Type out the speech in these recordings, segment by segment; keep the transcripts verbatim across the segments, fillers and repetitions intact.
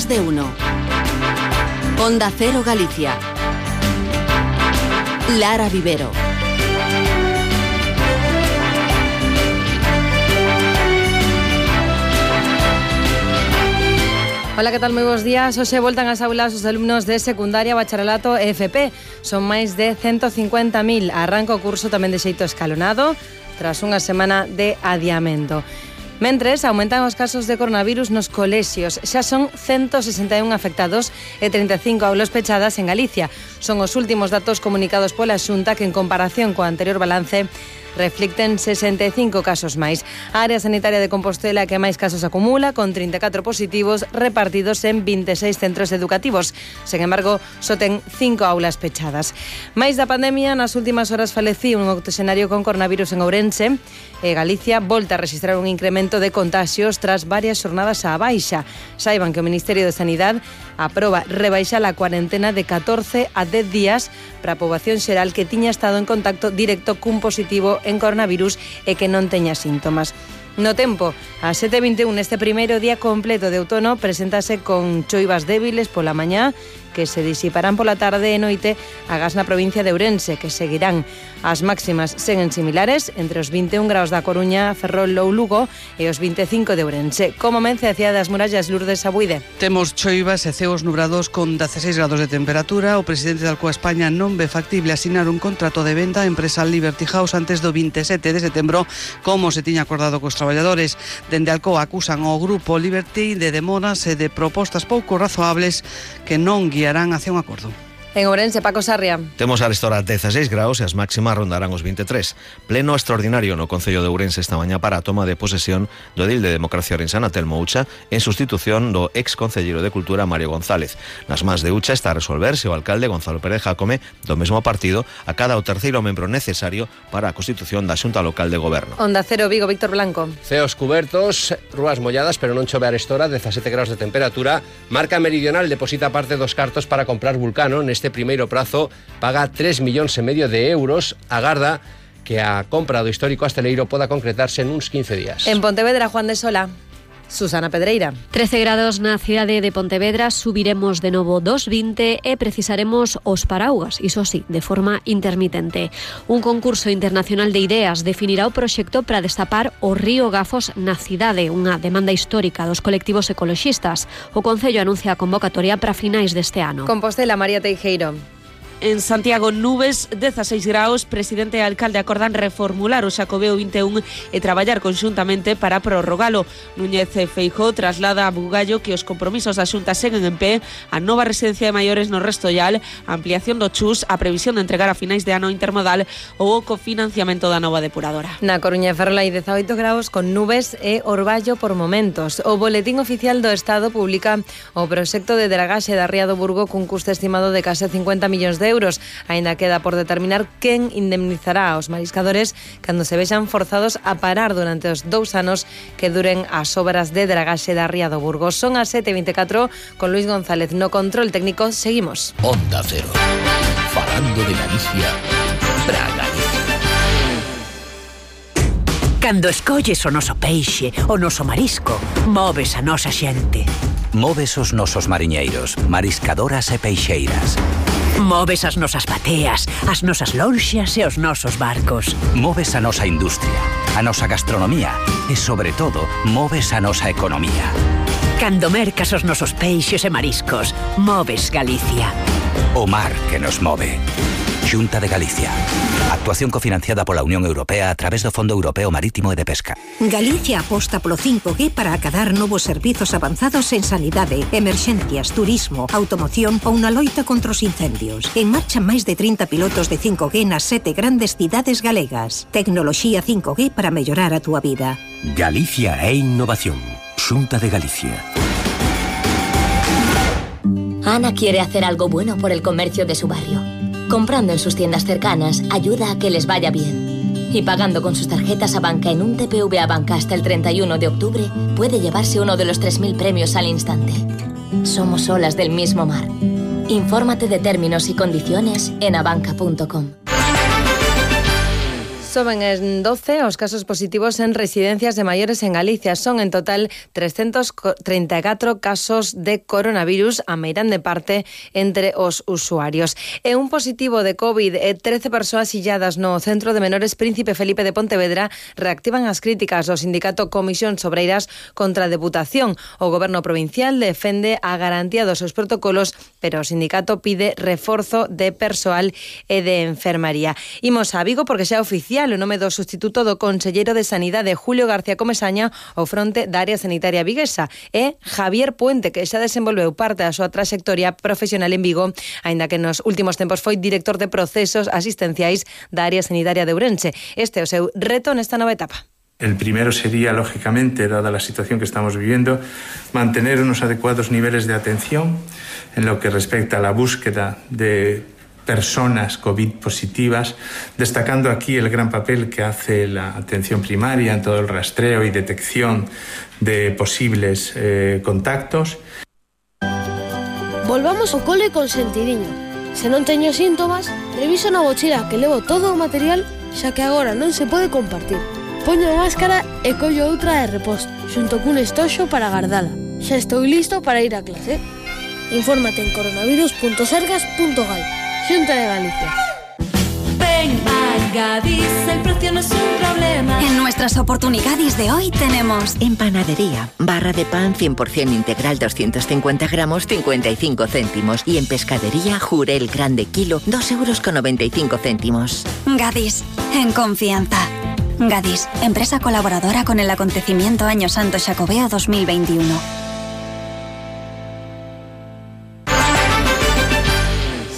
Más de uno. Onda Cero Galicia. Lara Vivero. Ola, que tal? Moi bons días. Hoxe voltan ás aulas os alumnos de secundaria, bacharelato e F P. Son máis de ciento cincuenta mil. Arranca o curso tamén de xeito escalonado tras unha semana de adiamento. Mentres, aumentan os casos de coronavirus nos colexios. Xa son ciento sesenta e un afectados e trinta e cinco aulas pechadas en Galicia. Son os últimos datos comunicados pola Xunta que, en comparación co anterior balance, reflicten sesenta e cinco casos máis. A área sanitaria de Compostela que máis casos acumula, con trinta e catro positivos repartidos en vinte e seis centros educativos. Sen embargo, só ten cinco aulas pechadas. Máis da pandemia, nas últimas horas falecía un octoxenario con coronavirus en Ourense e Galicia volta a registrar un incremento de contagios tras varias xornadas á baixa. Saiban que o Ministerio de Sanidade aproba rebaixar a cuarentena de catorce a dez días para a poboación xeral que tiña estado en contacto directo cun positivo en coronavirus e que non teña síntomas. No tempo, a sete e vinte e un neste primeiro día completo de outono preséntase con choivas débiles pola mañá que se disiparán pola tarde e noite agás na provincia de Ourense, que seguirán. As máximas seguen similares entre os vinte e un graus da Coruña, Ferrol ou Lugo e os vinte e cinco de Ourense. Como men a cidade das Murallas, Lourdes Abuide. Temos choivas e ceos nubrados con dezaseis grados de temperatura. O presidente da Alcoa España non ve factible asinar un contrato de venda á empresa Liberty House antes do vinte e sete de setembro, como se tiña acordado cos traballadores. Dende Alcoa acusan ao grupo Liberty de demoras e de propostas pouco razoables que non guiarán hacia un acordo. En Ourense, Paco Sarria. Temos a restora dezaseis graus e as máximas rondarán os vinte e tres. Pleno extraordinario no Concello de Ourense esta mañá para a toma de posesión do edil de Democracia Ourensana, Telmo Ucha, en sustitución do ex concelleiro de Cultura, Mario González. Nas mans de Ucha está a resolverse o alcalde Gonzalo Pérez Jácome, do mesmo partido, a cada o terceiro membro necesario para a constitución da Xunta Local de Goberno. Onda Cero Vigo, Víctor Blanco. Ceos cubertos, rúas molladas, pero non chove a restora, dezasete graus de temperatura. Marca Meridional deposita parte dos cartos para comprar Vulcano. Neste primeiro prazo paga tres millóns e medio de euros. Agarda que a compra do histórico asteleiro poda concretarse en uns quince días. En Pontevedra, Juan de Sola. Susana Pedreira. trece grados na cidade de Pontevedra, subiremos de novo dos vinte e precisaremos os paraugas, iso sí, de forma intermitente. Un concurso internacional de ideas definirá o proxecto para destapar o río Gafos na cidade, unha demanda histórica dos colectivos ecoloxistas. O Concello anuncia a convocatoria para finais deste ano. Compostela, María Teijeiro. En Santiago, nubes, dezaseis graus, presidente e alcalde acordan reformular o Xacobeo vinte e un e traballar conxuntamente para prorrogalo. Núñez Feijóo traslada a Bugallo que os compromisos da Xunta seguen en pé, a nova residencia de maiores no Restollal, a ampliación do Chus, a previsión de entregar a finais de ano intermodal ou o cofinanciamento da nova depuradora. Na Coruña e Ferrol hai dezaoito graus con nubes e orballo por momentos. O Boletín Oficial do Estado publica o proxecto de dragaxe da Ría do Burgo cun custo estimado de case cincuenta millóns de euros. Aínda queda por determinar quen indemnizará aos mariscadores cando se vexan forzados a parar durante os dous anos que duren as obras de dragaxe da Ría do Burgo. Son as sete e vinte e catro con Luis González no control técnico. Seguimos. Onda Cero. Falando de Galicia, pra Galicia. Cando escolles o noso peixe, o noso marisco, moves a nosa xente. Moves os nosos mariñeiros, mariscadoras e peixeiras. Moves as nosas bateas, as nosas lonxas e os nosos barcos. Moves a nosa industria, a nosa gastronomía e, sobre todo, moves a nosa economía. Cando mercas os nosos peixes e mariscos, moves Galicia. O mar que nos move. Xunta de Galicia. Actuación cofinanciada pola Unión Europea a través do Fondo Europeo Marítimo e de Pesca. Galicia aposta polo cinco G para acadar novos servizos avanzados en sanidade, emerxencias, turismo, automoción ou na loita contra os incendios. En marcha máis de trinta pilotos de cinco G nas sete grandes cidades galegas. Tecnoloxía cinco G para mellorar a túa vida. Galicia é innovación. Xunta de Galicia. Ana quiere hacer algo bueno por el comercio de su barrio. Comprando en sus tiendas cercanas ayuda a que les vaya bien. Y pagando con sus tarjetas Abanca en un T P V Abanca hasta el treinta y uno de octubre, puede llevarse uno de los tres mil premios al instante. Somos olas del mismo mar. Infórmate de términos y condiciones en abanca punto com. Soben en doce os casos positivos en residencias de maiores en Galicia. Son en total trescentos treinta e catro casos de coronavirus, a meirande parte entre os usuarios. E un positivo de COVID e trece persoas illadas no Centro de Menores Príncipe Felipe de Pontevedra reactivan as críticas do sindicato Comisións Obreiras contra a Deputación. O Goberno provincial defende a garantía dos seus protocolos, pero o sindicato pide reforzo de persoal e de enfermaría. Imos a Vigo porque xa é oficial o nome do sustituto do conselleiro de Sanidade, Julio García Comesaña, ao fronte da área sanitaria viguesa, e Javier Puente, que xa desenvolveu parte da súa traxectoria profesional en Vigo, aínda que nos últimos tempos foi director de procesos asistenciais da área sanitaria de Ourense. Este é o seu reto nesta nova etapa. El primero sería, lógicamente, dada la situación que estamos viviendo, mantener unos adecuados niveles de atención en lo que respecta a la búsqueda de personas COVID positivas, destacando aquí el gran papel que hace la atención primaria en todo el rastreo y detección de posibles eh, contactos. Volvamos ao cole con sentidiño. Se non teño síntomas, reviso na mochila que levo todo o material, xa que agora non se pode compartir. Poño a máscara e collo outra de reposto, xunto cun estoxo para gardala. Xa estou listo para ir a clase. Infórmate en coronavirus punto sergas punto gal. Xunta de Galicia. Ven a Gadis, el precio no es un problema. En nuestras oportunidades de hoy tenemos... En panadería, barra de pan cien por ciento integral doscientos cincuenta gramos, cincuenta y cinco céntimos. Y en pescadería, Jurel grande kilo, dos euros con noventa y cinco céntimos. Gadis, en confianza. Gadis, empresa colaboradora con el acontecimiento Año Santo Xacobeo dos mil veintiuno.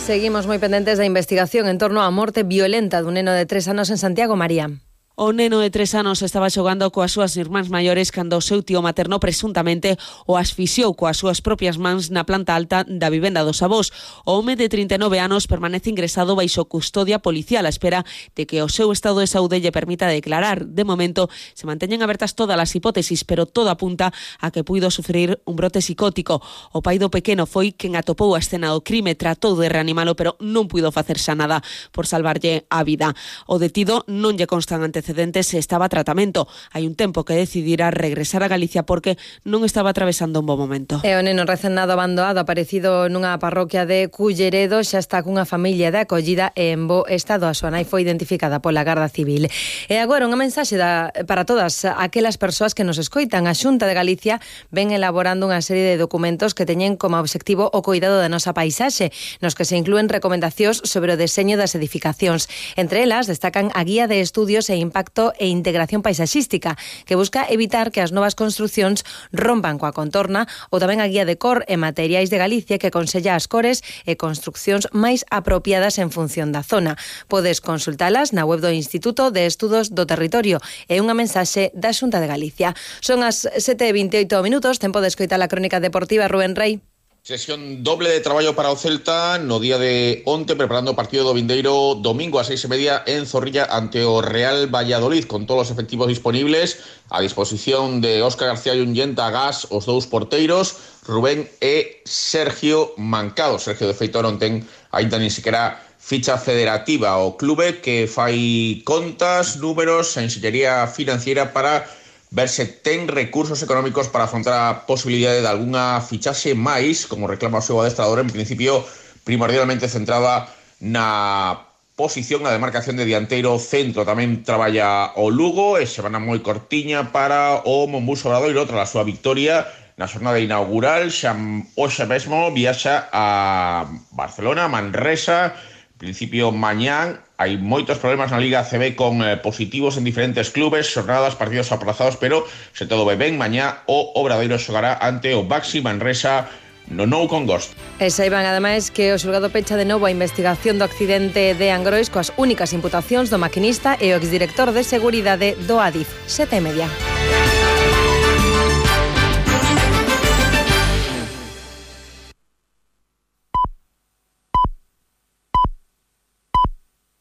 Seguimos moi pendentes da investigación en torno á morte violenta dun neno de tres anos en Santiago. María. O neno de tres anos estaba xogando coas súas irmáns maiores cando o seu tío materno presuntamente o asfixiou coas súas propias mans na planta alta da vivenda dos avós. O home de trinta e nove anos permanece ingresado baixo custodia policial á espera de que o seu estado de saúde lle permita declarar. De momento, se manteñen abertas todas as hipótesis, pero todo apunta a que puido sufrir un brote psicótico. O pai do pequeno foi quen atopou a escena do crime, tratou de reanimalo, pero non puido facerse nada por salvarlle a vida. O detido non lle constan antecedentes se estaba a tratamento. Hai un tempo que decidira regresar a Galicia porque non estaba atravesando un bo momento. E o neno recén nado abandonado aparecido nunha parroquia de Culleredo xa está cunha familia de acollida e en bo estado. A súa nai foi identificada pola Garda Civil. E agora unha mensaxe da, para todas aquelas persoas que nos escoitan. A Xunta de Galicia ven elaborando unha serie de documentos que teñen como obxectivo o cuidado da nosa paisaxe, nos que se inclúen recomendacións sobre o deseño das edificacións. Entre elas destacan a Guía de Estudios e Impacto e Integración Paisaxística, que busca evitar que as novas construcións rompan coa contorna, ou tamén a Guía de Cor e Materiais de Galicia, que aconsella as cores e construcións máis apropiadas en función da zona. Podes consultalas na web do Instituto de Estudos do Territorio. É unha mensaxe da Xunta de Galicia. Son as sete e vinte e oito minutos, tempo de escoitar a crónica deportiva. Rubén Rey. Sesión doble de traballo para o Celta no día de onte, preparando o partido do vindeiro domingo a seis e media en Zorrilla ante o Real Valladolid, con todos os efectivos disponibles a disposición de Óscar García Yunyenta, Gas, os dous porteiros, Rubén e Sergio Mancado. Sergio, de feito, non ten aínda nin siquiera ficha federativa. O clube que fai contas, números, a enxeñería financiera para ver se ten recursos económicos para afrontar a posibilidade de algunha fichaxe máis, como reclama o seu adestrador, en principio primordialmente centrada na posición, na demarcación de dianteiro centro. Tamén traballa o Lugo e semana moi cortiña para o Monbus Obradoiro tras a súa victoria na xornada inaugural. Xa hoxe mesmo viaxa a Barcelona, Manresa, en principio mañán. Hai moitos problemas na Liga A C B con eh, positivos en diferentes clubes, xornadas, partidos aplazados, pero se todo vai ben, mañá o Obradoiro xogará ante o Baxi Manresa no Nou Congost. E saiban ademais que o xulgado pecha de novo a investigación do accidente de Angrois coas únicas imputacións do maquinista e o exdirector de seguridade do Adif. Sete e media.